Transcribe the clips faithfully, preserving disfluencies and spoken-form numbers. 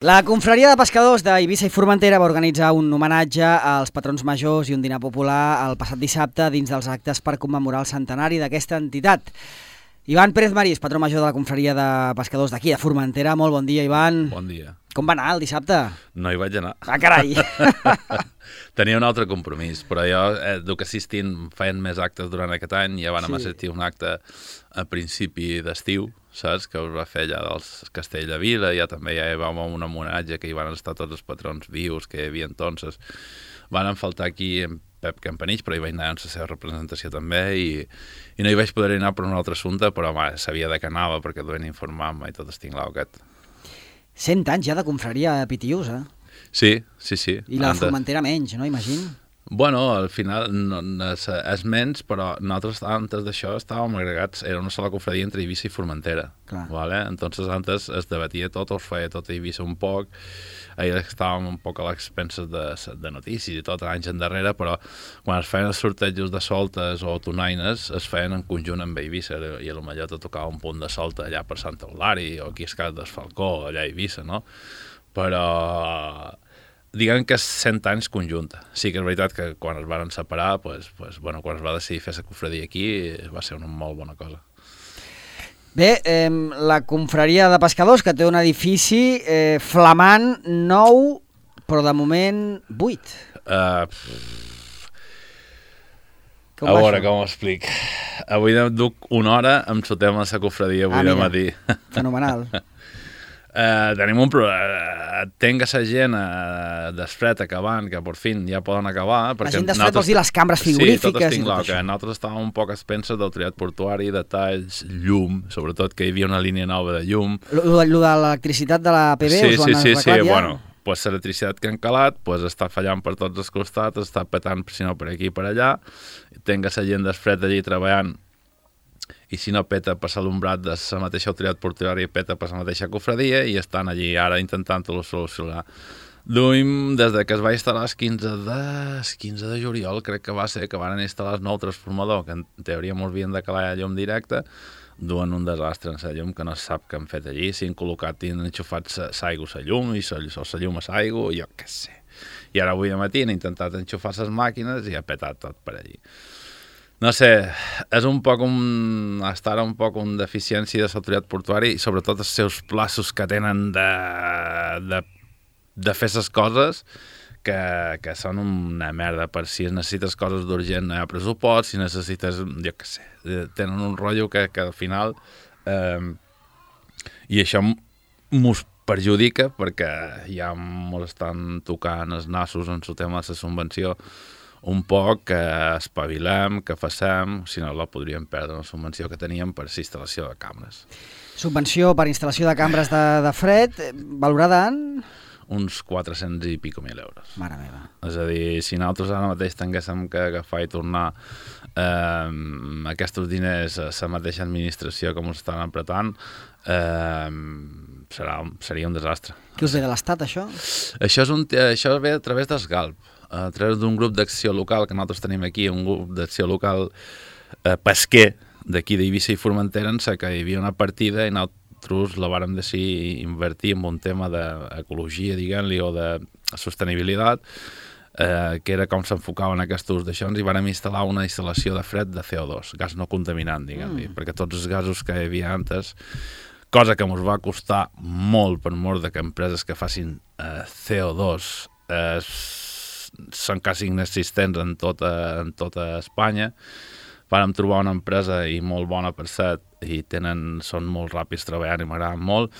La confraria de pescadors d'Eivissa i Formentera va organitzar un homenatge als patrons majors i un dinar popular el passat dissabte dins dels actes per commemorar el centenari d'aquesta entitat. Ivan Pérez Marís, patró major de la confraria de pescadors d'aquí, de Formentera. Molt bon dia, Ivan. Bon dia. Com va anar el dissabte? No hi vaig anar. Ah, carai! Tenia un altre compromís, però jo, eh, del que assistint, feien més actes durant aquest any, ja van sí. assistir un acte a principi d'estiu, saps? Que us va fer allà del Castell de Vila, ja també ja hi va un homenatge que hi van estar tots els patrons vius que hi havia entonces. Van faltar aquí en Pep Campanich, però hi vaig anar en la seva representació també i, i no hi vaig poder anar per un altre assumpte, però home, sabia de què anava perquè duen informar-me i tot estic lau aquest. Cent anys ja de confraria a Pitiús, eh? Sí, sí, sí. I la Formentera menys, no? Imagino. Bueno, al final no, no, és, és menys, però nosaltres antes d'això estàvem agregats, era una sola confraria entre Eivissa i Formentera. Clar. ¿Vale? Entonces antes es debatia tot, es feia tot a Eivissa un poc, ahir estàvem un poc a l'expenses de, de notícies i tot anys endarrere, però quan es feien els sortejos de soltes o tonaines es feien en conjunt amb Eivissa i potser te tocava un punt de solta allà per Santa Eulària o aquí a Escat del Falcó, allà a Eivissa, no? Però diguem que és cent anys conjunta. Sí que és veritat que quan es van separar, pues, pues, bueno, quan es va decidir fer la confraria aquí, va ser una molt bona cosa. Bé, eh, la confraria de pescadors, que té un edifici eh, flamant, nou, però de moment buit. Uh, a veure com ho explic. Avui duc una hora amb el tema de la confraria avui ah, de matí. Fenomenal. Uh, tenim un problema. Tenga la gent uh, d'Esfret acabant, que per fi ja poden acabar. La gent d'Esfret vols dir les cambres frigorífiques? Sí, tot estic clar, que nosaltres estàvem un poc a expenses del triat portuari, detalls, llum, sobretot que hi havia una línia nova de llum. Lo, lo de l'electricitat de la A P B sí, us ho han sí, sí, arreglat sí, ja? Bueno, pues l'electricitat que han calat pues, està fallant per tots els costats, està petant, si no, per aquí i per allà. Tenga la gent d'Esfret allí treballant i si no peta per l'alumbrat de la mateixa autoritat portuària i peta per la mateixa cofradia i estan allí ara intentant-ho solucionar. Duim, des de que es va instal·lar el quinze de, quinze de juliol, crec que va ser, que van instal·lar el nou transformador, que en teoria ens havien de calar a llum directe, duen un desastre en la llum que no se sap què han fet allí, s'han col·locat i han enxufat l'aigua a la llum i la llum a l'aigua, jo què sé. I ara avui de matí han intentat enxufar les màquines i ha petat tot per allí. No sé, és un poc un... estar un poc un deficiència de l'autoritat portuària i sobretot els seus plaços que tenen de, de, de fer les coses que, que són una merda. Per si necessites coses d'urgent no hi ha pressupost, si necessites, jo què sé, tenen un rotllo que, que al final... Eh, I això mos perjudica perquè ja mos estan tocant els nassos en el tema de la subvenció un poc que espavilem, que facem, si no la podríem perdre una subvenció que teníem per instal·lació de cambres. Subvenció per instal·lació de cambres de, de fred, valorada en? Uns quatre-cents i pico mil euros. Mare meva. És a dir, si nosaltres ara mateix tinguéssim que agafar i tornar eh, aquests diners a la mateixa administració que ens estan apretant, eh, serà, seria un desastre. Què us ve de l'Estat, això? Això, és un, això ve a través d'Esgalp, a través d'un grup d'acció local que nosaltres tenim aquí, un grup d'acció local eh, pesquer d'aquí d'Eivissa i Formentera, en què hi havia una partida i nosaltres la vàrem decidir invertir en un tema d'ecologia, diguem-li, o de sostenibilitat, eh, que era com s'enfocaven aquests d'aixons, i vàrem instal·lar una instal·lació de fred de C O dos, gas no contaminant, diguem-li, mm. perquè tots els gasos que hi havia antes, cosa que ens va costar molt per mort de que empreses que facin eh, C O dos eh, són quasi inexistents en tota, en tota Espanya. Vàrem trobar una empresa i molt bona per set i tenen, són molt ràpids treballant i m'agraden molt,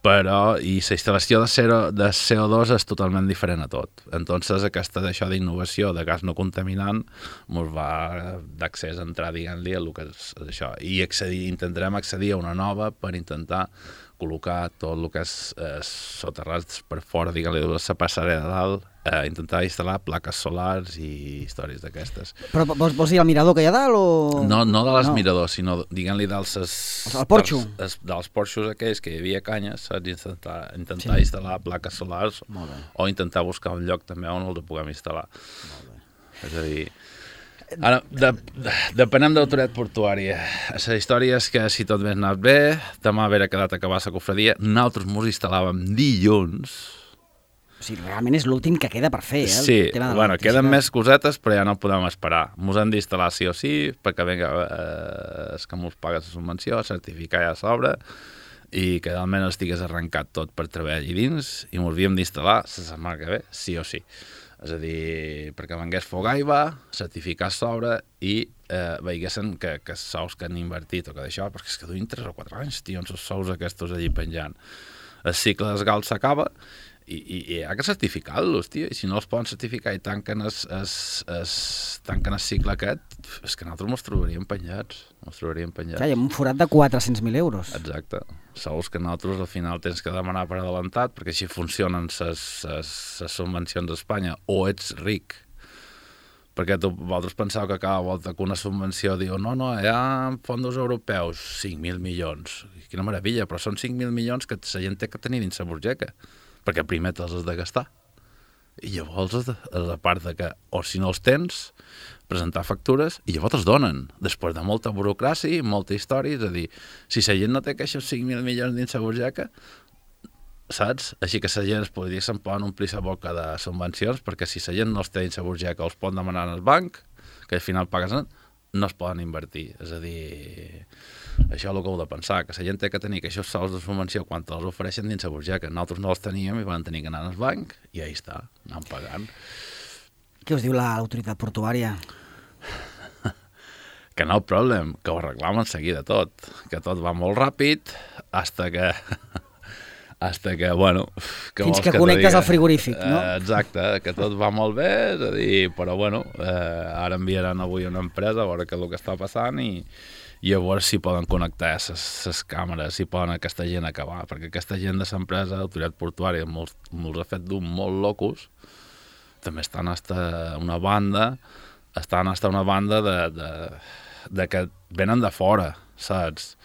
però i la instal·lació de, zero, de C O dos és totalment diferent a tot. Entonces aquesta d'això d'innovació de gas no contaminant ens va d'accés a entrar, diguem-li, a el que és això. I accedir, intentarem accedir a una nova per intentar col·locar tot el que és eh, soterrats per fora, diguem-li, de la passarel de dalt, eh, intentar instal·lar plaques solars i històries d'aquestes. Però vols, vols dir el mirador que hi ha dalt o...? No, no de les no. miradors, sinó, diguem-li, dels... El porxo? Dels, dels porxos aquells que hi havia canyes, saps? Intentar, intentar sí. instal·lar plaques solars o intentar buscar un lloc també on els puguem instal·lar. Molt bé. És a dir... Ara, de, de, depenem d'autoritat portuària. La història és que si tot hagués anat bé, demà haver quedat a acabar la cofradia, nosaltres mos instal·làvem dilluns. O sigui, realment és l'últim que queda per fer, eh? Sí, bueno, queden més cosetes, però ja no podem esperar. Mos hem d'instal·lar sí o sí, perquè venga, eh, és que mos paga la subvenció, certificar ja a sobre, i que almenys estigués arrencat tot per treballar allà dins, i mos havíem d'instal·lar la setmana que ve, sí o sí. És a dir, perquè vengués Fogaiva, certificar a sobre i eh, veigessin que, que sous que han invertit o que d'això, perquè és que duien tres o quatre anys, tio, els sous aquests allí penjant. El cicle dels gals s'acaba, I, i, i hi ha que certificar-los, tio, i si no els poden certificar i tanquen el, es, es, tanquen el cicle aquest, és que nosaltres mos trobaríem penjats, mos trobaríem penjats. Ja, hi ha un forat de quatre-cents mil euros. Exacte. Sous que nosaltres al final tens que demanar per adelantat, perquè així funcionen les subvencions d'Espanya, o ets ric, perquè tu, vosaltres penseu que cada volta que una subvenció diu no, no, hi ha fons europeus, cinc mil milions, quina meravella, però són cinc mil milions que la gent té que tenir dins la burgeca, perquè primer te'ls has de gastar. I llavors, a part de que, o si no els tens, presentar factures, i llavors els donen, després de molta burocràcia, molta història, és a dir, si la gent no té aquests cinc mil milions dins la burgeca, saps? Així que la gent es podria se'n poden omplir la boca de subvencions, perquè si la gent no els té dins la burgeca, els pot demanar al banc, que al final paguen, no es poden invertir. És a dir, això és el que heu de pensar, que la gent té que tenir aquests sous de subvenció quan els ofereixen dins la burgeca. Nosaltres no els teníem i van tenir que anar al banc i ahí està, anant pagant. Què us diu l'autoritat portuària? Que no problem, que ho arreglam en seguida tot, que tot va molt ràpid, hasta que... hasta que, bueno... Que Fins que, que connectes al frigorífic, no? Eh, exacte, que tot va molt bé, és a dir, però bueno, eh, ara enviaran avui una empresa a veure què és el que està passant i, i a veure si poden connectar les càmeres, si poden aquesta gent acabar, perquè aquesta gent de l'empresa, l'autoritat portuària, molts, molts ha fet d'un molt locos, també estan hasta una banda, estan hasta una banda de, de, de que venen de fora, saps?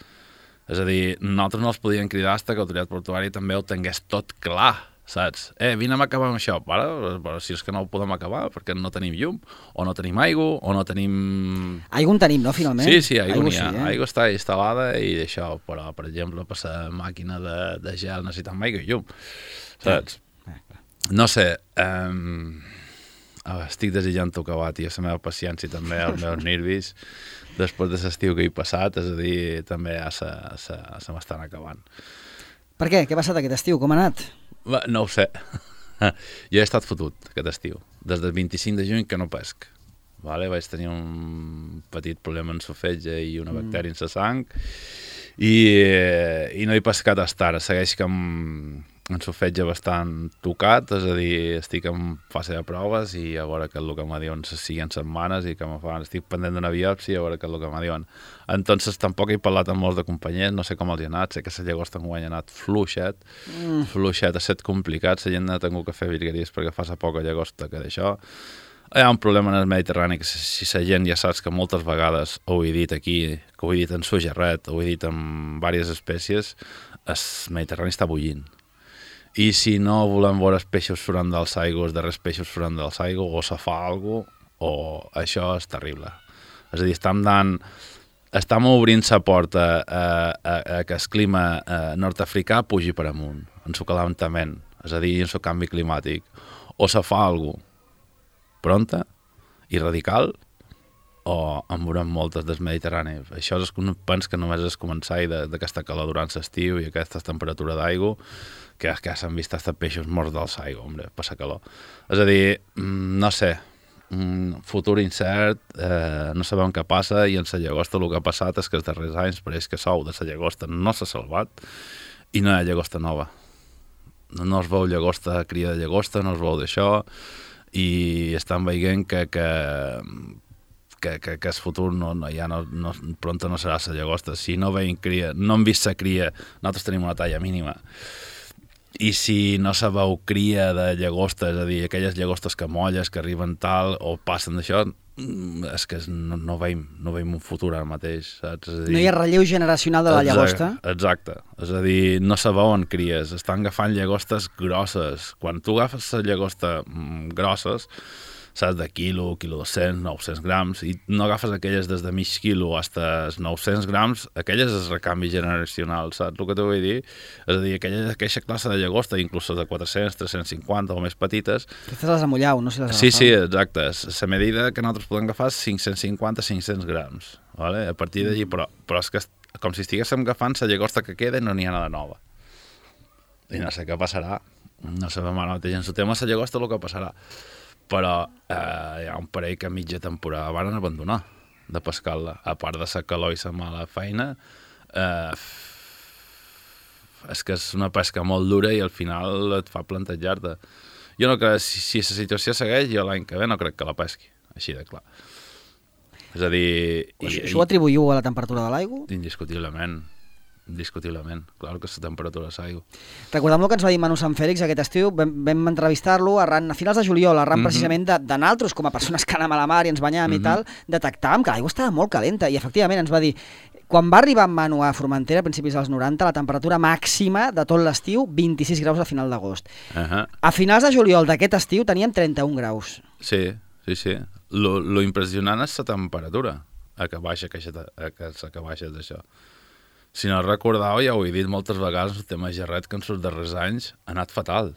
És a dir, nosaltres no els podíem cridar fins que l'autoritat portuària també ho tingués tot clar, saps? Eh, vine a acabar amb això, para, però si és que no ho podem acabar perquè no tenim llum, o no tenim aigua, o no tenim... Aigua en tenim, no, finalment? Sí, sí, aigua, aigua n'hi ha. Sí, eh? Aigua està instal·lada i d'això, però, per exemple, per la màquina de, de gel necessitem aigua i llum, saps? Sí. No sé, eh, estic desitjant acabar, tio, la meva paciència també, els meus nervis, després de l'estiu que he passat, és a dir, també ja se, se, se m'estan acabant. Per què? Què ha passat aquest estiu? Com ha anat? No ho sé. Jo he estat fotut aquest estiu. Des del vint-i-cinc de juny que no pesc. Vale? Vaig tenir un petit problema en la fetge i una bactèria mm. en la sang i, i no he pescat fins ara. Segueix que em, en la fetge bastant tocat, és a dir, estic en fase de proves i a veure què és el que me diuen les siguients setmanes i que me fan, estic pendent d'una biòpsia a veure què és el que me diuen. Entonces tampoc he parlat amb molts de companys, no sé com els hi ha anat, sé que la llagosta enguany ha anat fluixet, mm. fluixet, ha estat complicat, la gent ha tingut que fer virgueries perquè fa sa poca llagosta que d'això. Hi ha un problema en el Mediterrani que si la gent ja saps que moltes vegades ho he dit aquí, que ho he dit en sugerret, ho he dit en diverses espècies, el Mediterrani està bullint. I si no volem veure els peixos surant dels aigües, darrers peixos surant dels aigües, o se fa alguna cosa, o això és terrible. És a dir, estem dant... Estem obrint la porta a, a, a que el clima nord-africà pugi per amunt, en el calentament, és a dir, en el canvi climàtic. O se fa alguna cosa pronta i radical, o en veurem moltes del Mediterrani. Això és un pens que només és començar d'aquesta calor durant l'estiu i aquesta temperatura d'aigua, que, que s'han vist hasta peixos morts dels aigua, hombre, per la calor. És a dir, no sé, un futur incert, eh, no sabem què passa, i en la llagosta el que ha passat és que els darrers anys pareix que sou de la llagosta no s'ha salvat i no hi ha llagosta nova. No es veu llagosta, cria de llagosta, no es veu d'això, i estan veient que, que, que, que, que el futur no, no, ja no, no, pronto no serà la llagosta. Si no veiem cria, no hem vist la cria, nosaltres tenim una talla mínima. I si no se veu cria de llagosta, és a dir, aquelles llagostes que molles, que arriben tal, o passen d'això, és que no, no, veiem, no veiem un futur ara mateix, saps? És a dir, no hi ha relleu generacional de la llagosta? Exacte, és a dir, no se veuen cries, estan agafant llagostes grosses. Quan tu agafes les llagostes grosses, saps, de quilo, quilo dos-cents, nou-cents grams, i no agafes aquelles des de mig quilo fins als nou-cents grams, aquelles és recanvi generacional, saps el que t'ho vull dir? És a dir, aquella, aquella classe de llagosta, inclús de quatre-cents, tres-cents cinquanta o més petites... Aquestes les amulleu, no? Si les sí, sí, exacte. La medida que nosaltres podem agafar és cinc-cents cinquanta a cinc-cents grams, vale? A partir d'allí, però, però és que com si estiguéssim agafant la llagosta que queda i no n'hi ha nada nova. I no sé què passarà. No sabem ara mateix en el tema la llagosta el que passarà. Però eh, hi ha un parell que a mitja temporada van abandonar de pescar-la. A part de la calor i la mala feina, eh, és que és una pesca molt dura i al final et fa plantejar-te. Jo no crec, si, si la situació segueix, jo l'any que ve no crec que la pesqui, així de clar. És a dir... I, això ho atribuïu a la temperatura de l'aigua? Indiscutiblement. Indiscutiblement, clar que és la temperatura de l'aigua. Recordem el que ens va dir Manu Sant Fèlix aquest estiu, vam, vam entrevistar-lo arran, a finals de juliol, arran mm-hmm. precisament de, de naltros, com a persones que anàvem a la mar i ens banyàvem mm-hmm. i tal, detectàvem que l'aigua estava molt calenta i efectivament ens va dir, quan va arribar en Manu a Formentera a principis dels noranta, la temperatura màxima de tot l'estiu, vint-i-sis graus a final d'agost. Uh-huh. A finals de juliol d'aquest estiu teníem trenta-un graus. Sí, sí, sí. Lo, lo impressionant és la temperatura a que baixa, que, a que, a que baixa d'això. Si no recordeu, ja ho he dit moltes vegades, el tema gerret que en els darrers anys ha anat fatal.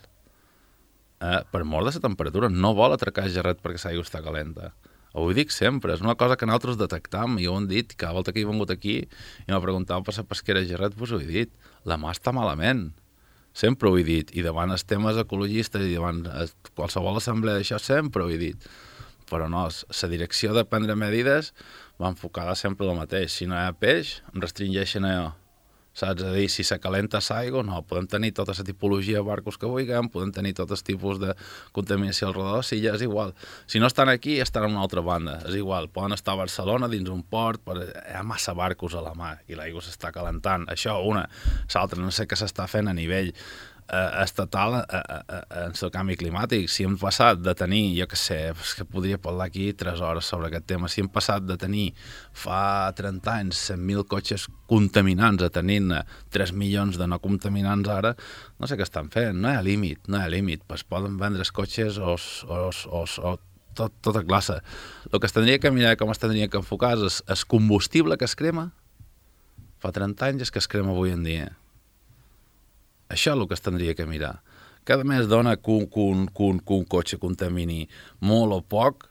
Eh? Per mort de la temperatura, no vol atracar gerret perquè l'aigua està calenta. Ho dic sempre, és una cosa que nosaltres detectam, i ho hem dit, cada volta que he vingut aquí i m'ha preguntat per la pesquera gerret, doncs ho he dit, la mà està malament. Sempre ho he dit, i davant els temes ecologistes i davant qualsevol assemblea d'això sempre ho he dit. Però no, la direcció de prendre medides va enfocada sempre el mateix. Si no hi ha peix, em restringeixen allò. Saps? A dir, si se calenta l'aigua, no, podem tenir tota la tipologia de barcos que vulguem, podem tenir tots els tipus de contaminació al redador, si ja és igual. Si no estan aquí, estan a una altra banda. És igual, poden estar a Barcelona dins un port, però hi ha massa barcos a la mar i l'aigua s'està calentant. Això, una. L'altra, no sé què s'està fent a nivell Uh, estatal uh, uh, uh, en el canvi climàtic. Si hem passat de tenir, jo què sé, és que podria parlar aquí tres hores sobre aquest tema, si hem passat de tenir fa trenta anys cent mil cotxes contaminants a tenir-ne tres milions de no contaminants ara, no sé què estan fent, no hi ha límit, no hi ha límit, pues poden vendre els cotxes o, o, o, o tot, tota classe. El que es tindria que mirar, com es tindria que enfocar és el combustible que es crema fa trenta anys és que es crema avui en dia. Això és el que es tindria que mirar. Cada mes dona que un, que un, que un, que un cotxe contamini molt o poc,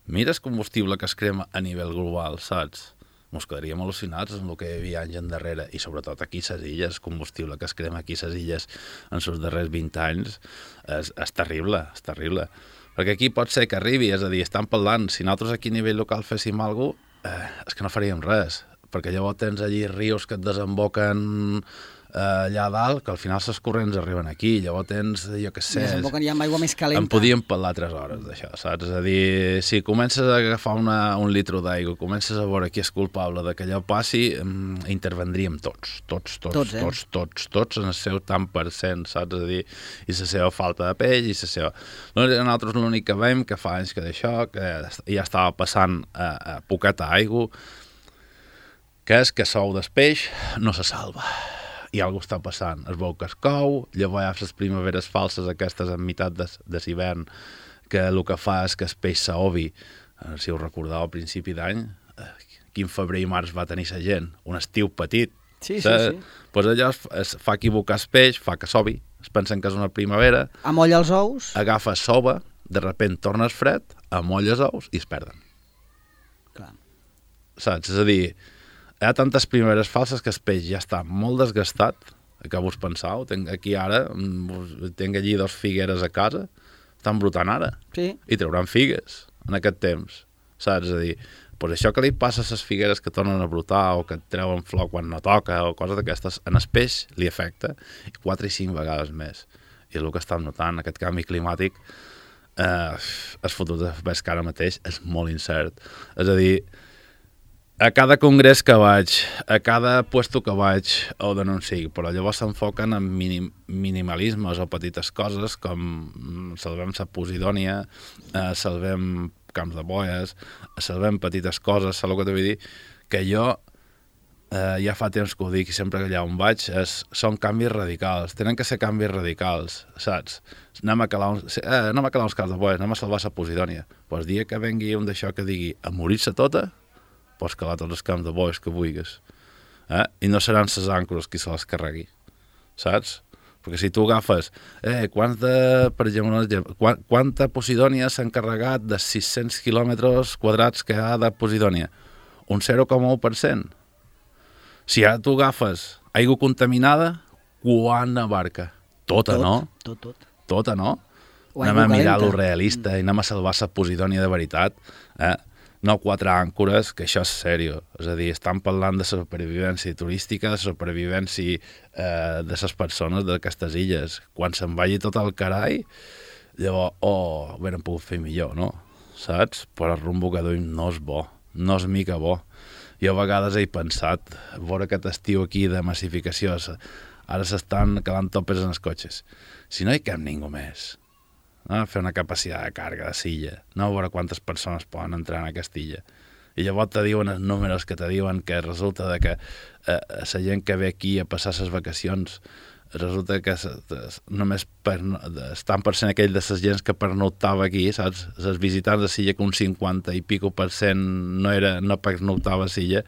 mira el combustible que es crema a nivell global, saps? Ens quedaríem al·lucinats amb el que hi havia anys endarrere, i sobretot aquí a les illes, el combustible que es crema aquí a les illes en els darrers vint anys és, és terrible, és terrible. Perquè aquí pot ser que arribi, és a dir, estan parlant, si nosaltres aquí a nivell local féssim alguna cosa, eh, és que no faríem res, perquè llavors tens allí rius que et desemboquen allà dalt, que al final els corrents arriben aquí, llavors tens, jo què sé... Desemboquen ja amb aigua més calenta. En podíem parlar tres hores d'això, saps? És a dir, si comences a agafar una, un litro d'aigua, comences a veure qui és culpable de que allò passi, intervendríem tots, tots, tots, tots, eh? tots, tots, tots en el seu tant per cent, saps? És a dir, i la seva falta de peix, i la seva... Nosaltres l'únic que veiem, que fa anys que d'això, que ja estava passant a, a poqueta aigua, que és que sou del peix no se salva. I alguna està passant, es veu que es cou, llavors hi ha les primaveres falses aquestes en meitat de, de l'hivern, que el que fa és que el peix s'obi, eh, si us recordeu al principi d'any, eh, quin febrer i març va tenir la gent, un estiu petit. Sí, sí, sí. Pues allò es, es fa equivocar el peix, fa que s'obi, es pensen que és una primavera, amolla els ous, agafa s'ova, de repent torna el fred, amolla els ous i es perden. Clar. Saps? És a dir, hi ha tantes primeres falses que el peix ja està molt desgastat, que vos pensau, tenc aquí ara, tenc allí dos figueres a casa, estan brotant ara, sí. I trauran figues en aquest temps, saps? És a dir, pues això que li passa a les figueres que tornen a brotar o que treuen flor quan no toca o coses d'aquestes, en el peix li afecta quatre i cinc vegades més. I el que estem notant, aquest canvi climàtic, eh, el futur de pesca ara mateix és molt incert. És a dir, a cada congrés que vaig, a cada puesto que vaig, o de no en sigui, però llavors s'enfoquen en minim, minimalismes o petites coses com salvem la Posidònia, eh, salvem camps de boies, salvem petites coses, saps el que t'ho vull dir? Que jo eh, ja fa temps que ho dic i sempre que allà on vaig, és, són canvis radicals, tenen que ser canvis radicals, saps? Anem a calar uns, eh, anem a calar uns cals de bois, anem a salvar la Posidònia. Pues dia que vengui un d'això que digui a morir-se tota, pots calar tots els camps de bois que vulguis. Eh? I no seran les àncores qui se les carregui, saps? Perquè si tu agafes, eh, quants de, per exemple, quant, quanta Posidònia s'ha encarregat de sis-cents quilòmetres quadrats que ha de Posidònia? Un zero coma u per cent. Si ara tu agafes aigua contaminada, quan abarca? Tota, tot, no? Tot, tot. Tota, no? O anem a mirar calenta. lo realista i anem a salvar la Posidònia de veritat. Eh? No quatre àncores, que això és sèrio. És a dir, estan parlant de la supervivència turística, de la supervivència eh, de les persones d'aquestes illes. Quan se'n vagi tot el carai, llavors, oh, ho hauran pogut fer millor, no? Saps? Però el rumbo que duim no és bo, no és mica bo. Jo a vegades he pensat, veure aquest estiu aquí de massificació, ara s'estan calant topes en els cotxes. Si no hi cap ningú més, no? Fer una capacitat de càrrega de silla, no veure quantes persones poden entrar en aquesta illa. I llavors te diuen els números que te diuen que resulta de que eh, la gent que ve aquí a passar les vacacions, resulta que només per, estan per cent aquell de les gens que pernoctava aquí, saps? Els visitants de Silla que un cinquanta i pico per cent no, era, no pernoctava a Silla.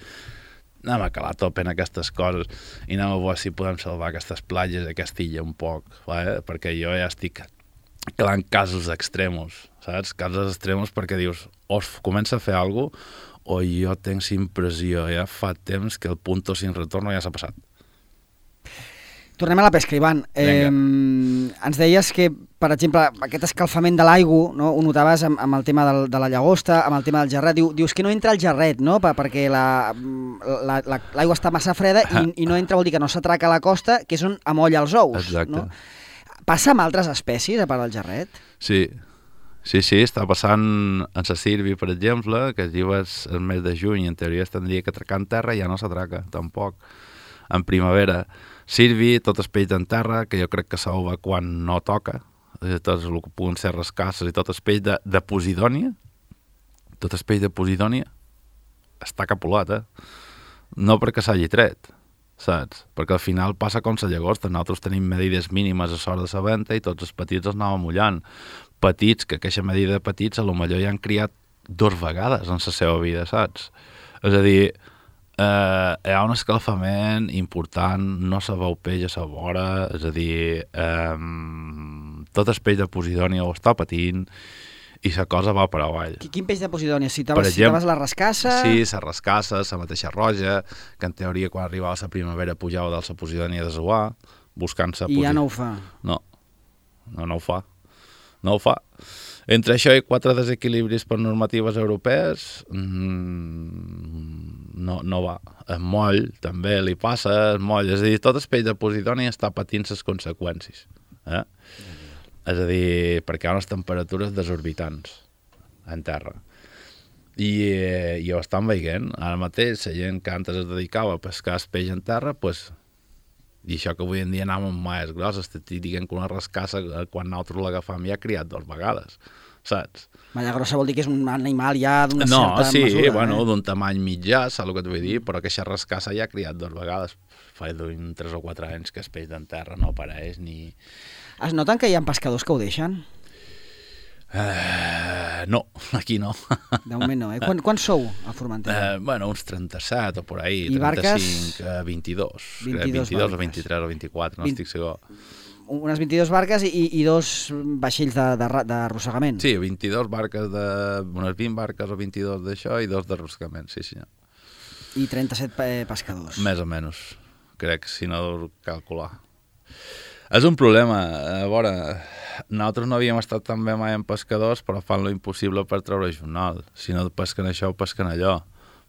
Anem a calar top en aquestes coses i anem a veure si podem salvar aquestes platges d'aquesta illa un poc, eh? Perquè jo ja estic calant casos extremos, saps? Casos extremos perquè dius, o es comença a fer alguna cosa, o jo tinc impressió, ja fa temps que el punto sin retorno ja s'ha passat. Tornem a la pesca, Ivan. Eh, ens deies que, per exemple, aquest escalfament de l'aigua, no, ho notaves amb, amb el tema del, de la llagosta, amb el tema del gerret. Diu, dius que no entra el gerret, no? perquè l'aigua la, la, la, està massa freda i, i no entra, vol dir que no s'atraca a la costa, que és on amolla els ous. Exacte. No? Passa amb altres espècies, a part del gerret? Sí, sí, sí, està passant en la sirvi, per exemple, que lleves el mes de juny, en teoria es tindria que atracar en terra i ja no s'atraca, tampoc. En primavera, sirvi, tot el peix en terra, que jo crec que s'ova quan no toca, tots el que puguen ser rascasses i tot el peix de, de Posidònia, tot el peix de Posidònia està capulat, eh? No perquè s'hagi tret, saps? Perquè al final passa com la llagosta, nosaltres tenim medides mínimes a sort de la venta i tots els petits els anàvem mullant. Petits, que aquesta medida de petits a lo millor ja han criat dues vegades en la seva vida, saps? És a dir, eh, hi ha un escalfament important, no se veu peix a la vora, és a dir, eh, tot el peix de Posidònia ho està patint i la cosa va per avall. Quin peix de Posidònia? Citaves, citaves la rascassa? Sí, la rascassa, la mateixa roja, que en teoria quan arribava la primavera pujava de la Posidònia de Zoar, buscant-se... I ja no ho fa? No, no, no ho fa. No ho fa. Entre això i quatre desequilibris per normatives europees, mmm, no, no va. El moll també li passa, el moll, és a dir, tot el peix de Posidònia està patint les conseqüències. Eh? És a dir, perquè hi ha unes temperatures desorbitants en terra. I, eh, i ho estan veient. Ara mateix, la gent que antes es dedicava a pescar el peix en terra, pues, i això que avui en dia anàvem amb maies grosses, t'estic dient que una rascassa, quan nosaltres l'agafam ja ha criat dues vegades, saps? Malla grossa vol dir que és un animal ja d'una no, certa sí, mesura. No, bueno, eh? d'un tamany mitjà, saps el que et vull dir? Però aquesta rascassa ja ha criat dues vegades. Fa d'un tres o quatre anys que el peix d'en terra no apareix ni... Es noten que hi ha pescadors que ho deixen? Uh, no, aquí no. De moment no, eh? Quan, quan sou a Formentera? Uh, bueno, uns trenta-set o por ahí, I trenta-cinc, barques? uh, vint-i-dos, vint-i-dos, vint-i-dos o barques. vint-i-tres o vint-i-quatre, no vint... estic segur. Unes vint-i-dues barques i, i dos vaixells d'arrossegament. Sí, vint-i-dos barques, de, unes vint barques o vint-i-dos d'això i dos d'arrossegament, sí senyor. I trenta-set pescadors. Més o menys, crec, si no deus calcular. És un problema, a veure, nosaltres no havíem estat tan bé mai en pescadors, però fan lo impossible per treure jornal. Si no pesquen això, ho pesquen allò.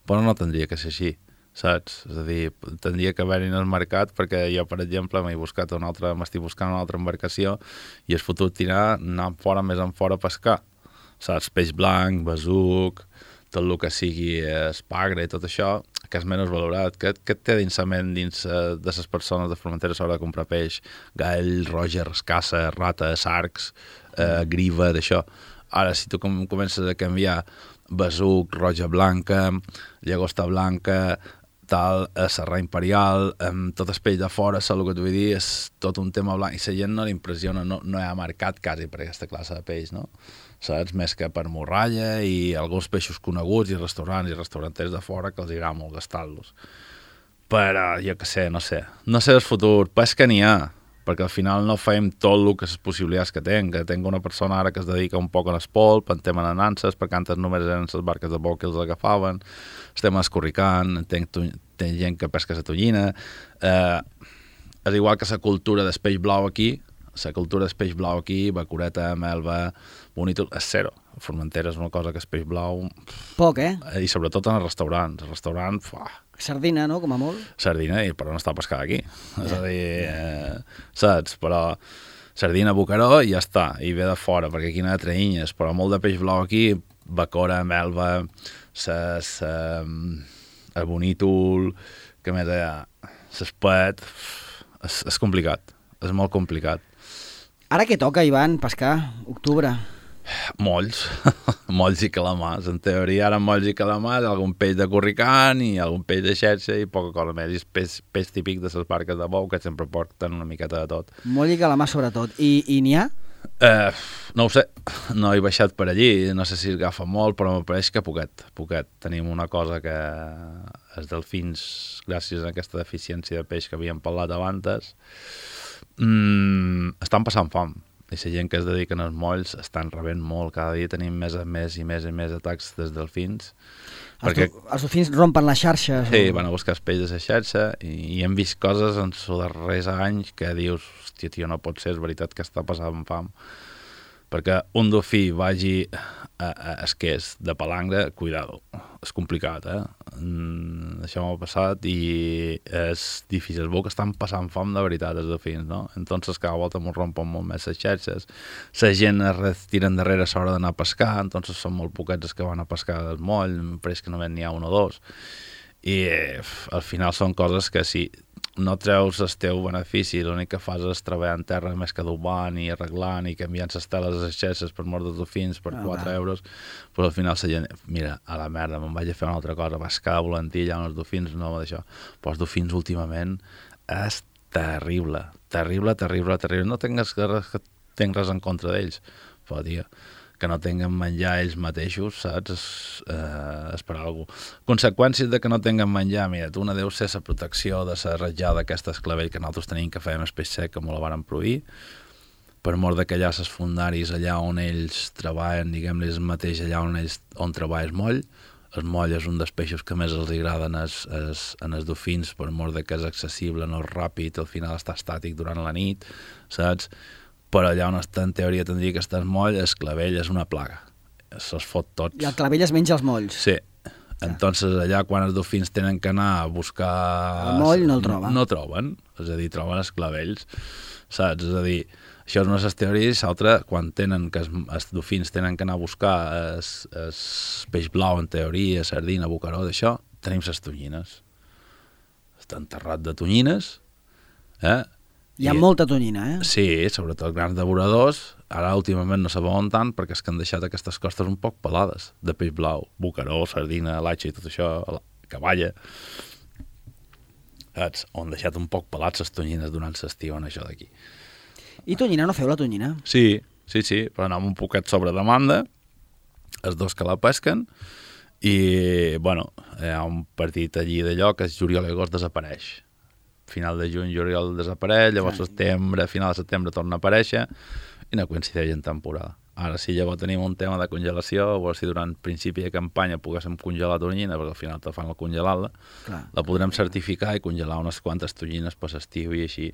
Però no tindria que ser així, saps? És a dir, tindria que haver-hi en el mercat, perquè jo, per exemple, m'he buscat una altra, m'estic buscant una altra embarcació i és fotut tirar, anar fora, més en fora a pescar. Saps? Peix blanc, besuc, tot el que sigui espagre i tot això, que és menys valorat, que, que té dins la ment dins uh, de les persones de Formentera a l'hora de comprar peix, gall, roja, rascassa, rata, sarcs, uh, griva, d'això. Ara, si tu com comences a canviar besuc, roja blanca, llagosta blanca, tal, a Serra Imperial, amb tot el peix de fora, saps el que t'ho vull dir, és tot un tema blanc, i la gent no li impressiona, no, no hi ha mercat quasi per aquesta classe de peix, no? Saps? Més que per morralla i alguns peixos coneguts i restaurants i restauranters de fora que els agrada molt gastar-los. Però, jo què sé, no sé. No sé el futur, però és que n'hi ha, perquè al final no fem tot el que les possibilitats que tenc, que tinc una persona ara que es dedica un poc a l'espolp, en tema de nanses, perquè antes només eren les barques de bou que els agafaven, estem escorricant, tenc, tenc gent que pesca la tonyina, eh, és igual que la cultura del peix blau aquí, la cultura del peix blau aquí, bacureta, melva, bonítol, és zero. A Formentera és una cosa que és peix blau... Poc, eh? I sobretot en els restaurants. El restaurant, fuà, sardina, no?, com a molt. Sardina, i però no està pescada aquí. Yeah. És a dir, eh, saps? Però sardina, bocaró i ja està, i ve de fora, perquè aquí no hi ha traïnyes, però molt de peix blau aquí, bacora, melva, ses, eh, el bonítol, que més hi ha, s'espet, és, és complicat, és molt complicat. Ara què toca, Ivan, pescar? Octubre. Molls, molls i calamars. En teoria, ara molls i calamars, algun peix de corricant i algun peix de xerxa i poca cosa més. I és peix, peix típic de les barques de bou que sempre porten una miqueta de tot. Moll i calamar sobretot. I, i n'hi ha? Eh, no ho sé, no he baixat per allí, no sé si es agafa molt, però me pareix que poquet, poquet. Tenim una cosa que els delfins, gràcies a aquesta deficiència de peix que havíem parlat abans, mmm, estan passant fam. I la gent que es dediquen als molls estan rebent molt. Cada dia tenim més i més i més i més atacs dels delfins. Els, perquè... els delfins rompen les xarxes? Sí, o... van a buscar els peixos de la xarxa i, i hem vist coses en els darrers anys que dius, hòstia, tio, no pot ser, és veritat que està passant fam. Perquè un dofí vagi a, a esquers de palangre, cuidado, és complicat, eh? Mm, això m'ha passat i és difícil. Veu que estan passant fam de veritat els dofins, no? Entonces cada volta m'ho rompen molt més les xarxes. La gent es retira endarrere a l'hora d'anar a pescar, entonces són molt poquets els que van a pescar del moll, em pareix que només n'hi ha un o dos. I eh, al final són coses que si no treus el teu benefici, l'únic que fas és treballar en terra més que adobant i arreglant i canviant les teles a les xerxes per mort dels dofins per quatre euros, però al final la gent, mira, a la merda, me'n vaig a fer una altra cosa, vas quedar volantí allà on els dofins, no d'això. Però els dofins últimament és terrible, terrible, terrible, terrible. No tingues res, que tinc res en contra d'ells, però, tio, que no tinguen menjar ells mateixos, saps? És, eh, és per alguna cosa. Conseqüències de que no tinguen menjar, mira, tu una deu ser la protecció de la ratjada aquesta esclavell que nosaltres tenim que fèiem el peix sec, que me la varen prohibir, per mort de que allà els fundaris, allà on ells treballen, diguem-li, el mateix allà on ells on treballa el moll. El moll és un dels peixos que més els agraden els, els, en els dofins, per mort de que és accessible, no és ràpid, al final està estàtic durant la nit, saps? Però allà on està, en teoria, tindria que estar el moll, el clavell és una plaga. Se'ls fot tots. I el clavell es menja els molls. Sí. Entonces, allà, quan els dofins tenen que anar a buscar... El moll no el troben. No troben. És a dir, troben els clavells. Saps? És a dir, això és una de les teories. L'altra, quan tenen que els, els dofins tenen que anar a buscar el, el peix blau, en teoria, sardina, bocaró, d'això, tenim les tonyines. Està enterrat de tonyines, eh? Hi ha I, molta tonyina, eh? Sí, sobretot grans devoradors. Ara últimament no saben tant perquè és que han deixat aquestes costes un poc pelades de peix blau, bocaró, sardina, latxa i tot això, cavalla. Saps? On han deixat un poc pelats les tonyines durant l'estiu en això d'aquí. I tonyina, no feu la tonyina? Sí, sí, sí, però anem un poquet sobre demanda, els dos que la pesquen, i, bueno, hi ha un partit allí d'allò que és juliol i agost desapareix. Final de juny, juliol desapareix, llavors sí. Setembre, final de setembre torna a aparèixer i no coincideix en temporada. Ara sí, llavors tenim un tema de congelació, a veure si durant principi de campanya poguéssim congelar tonyina, perquè al final te fan la congelada, la podrem certificar i congelar unes quantes tonyines per l'estiu i així,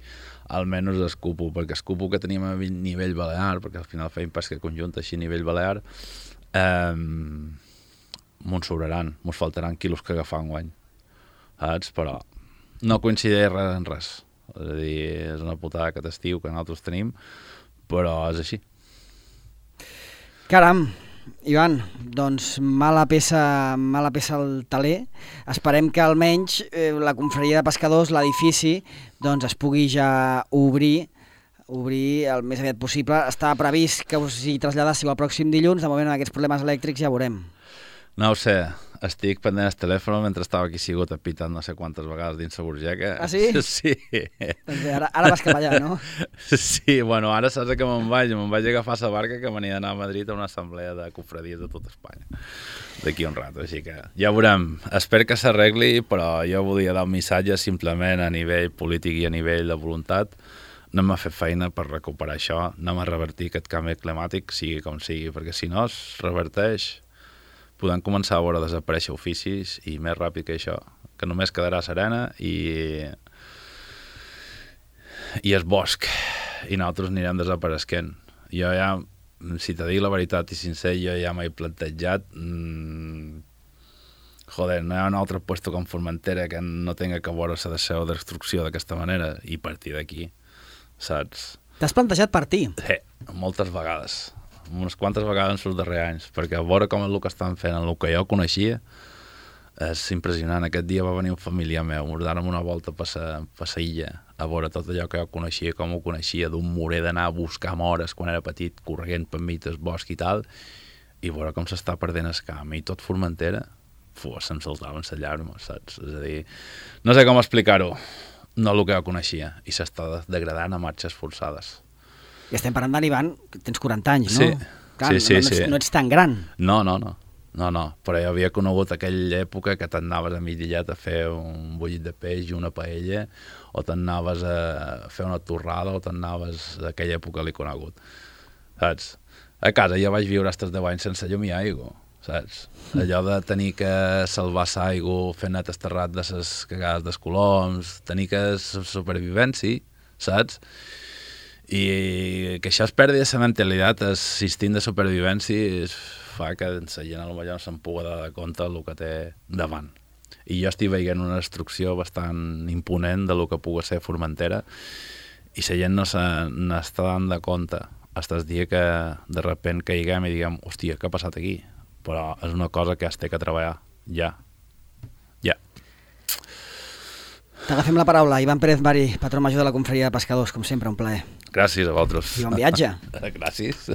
almenys escupo, perquè escupo que tenim a nivell balear, perquè al final feim pesca conjunta així a nivell balear, eh, m'ho sobraran, m'ho faltaran quilos que agafar enguany, saps? Però no coincideix res en res. És a dir, és una putada que t'estiu que nosaltres tenim, però és així. Caram, Ivan, doncs mala peça, mala peça al taler. Esperem que almenys eh, la confraria de pescadors, l'edifici, doncs es pugui ja obrir, obrir el més aviat possible. Està previst que us hi traslladàssiu el pròxim dilluns, de moment amb aquests problemes elèctrics ja veurem. No ho sé, estic pendent el telèfon mentre estava aquí sigut apitant no sé quantes vegades dins la burgeca. Ah, sí? Sí. Doncs bé, ara, ara vas cap allà, no? Sí, bueno, ara saps que me'n vaig, me'n vaig agafar la barca que venia d'anar a Madrid a una assemblea de cofradies de tot Espanya, d'aquí un rato, així que ja veurem. Espero que s'arregli, però jo volia dar un missatge simplement a nivell polític i a nivell de voluntat. Anem a fer feina per recuperar això, anem a revertir aquest canvi climàtic, sigui com sigui, perquè si no es reverteix, podem començar a veure desaparèixer oficis i més ràpid que això, que només quedarà serena i, i el bosc, i nosaltres anirem desapareixent. Jo ja, si te dic la veritat i sincer, jo ja m'he plantejat, mmm, joder, no hi ha un altre puesto com Formentera que no tenga que veure la seva destrucció d'aquesta manera i partir d'aquí, saps? T'has plantejat partir? Sí, moltes vegades. Unes quantes vegades en els darrers anys, perquè a veure com és el que estan fent, el que jo coneixia, és impressionant. Aquest dia va venir un familiar meu, ens dàrem una volta per la illa, a veure tot allò que jo coneixia, com ho coneixia, d'un morer d'anar a buscar mores quan era petit, correguent per mig del bosc i tal, i veure com s'està perdent el camp, i tot Formentera, fu, se'm saltaven les llàgrimes, saps? És a dir, no sé com explicar-ho, no el que jo coneixia, i s'està degradant a marxes forçades. I estem parlant d'en Ivan, que tens quaranta anys, no? Sí, Clar, sí, sí, no, no, sí. ets, no ets tan gran. No, no, no, no, no, però jo havia conegut aquella època que t'anaves a Midillet a fer un bullit de peix i una paella, o t'anaves a fer una torrada, o t'anaves a aquella època l'he conegut, saps? A casa ja vaig viure fins deu anys sense llum i aigua, saps? Allò de tenir que salvar l'aigua, fer net esterrat de les cagades dels coloms, tenir que supervivència, saps? I que això es perdi la mentalitat, el instinct de supervivència fa que la gent potser no se'n pugui dar compte del que té davant. I jo estic veient una destrucció bastant imponent de lo que pugui ser Formentera i la gent no se n'està dant de compte fins el dia que de repent caiguem i diguem, hòstia, què ha passat aquí? Però és una cosa que es té que treballar ja. Ja. T'agafem la paraula. Ivan Pérez Mari, patró major de la Confraria de Pescadors, com sempre, un plaer. Gràcies a vosaltres. I bon viatge. Gràcies.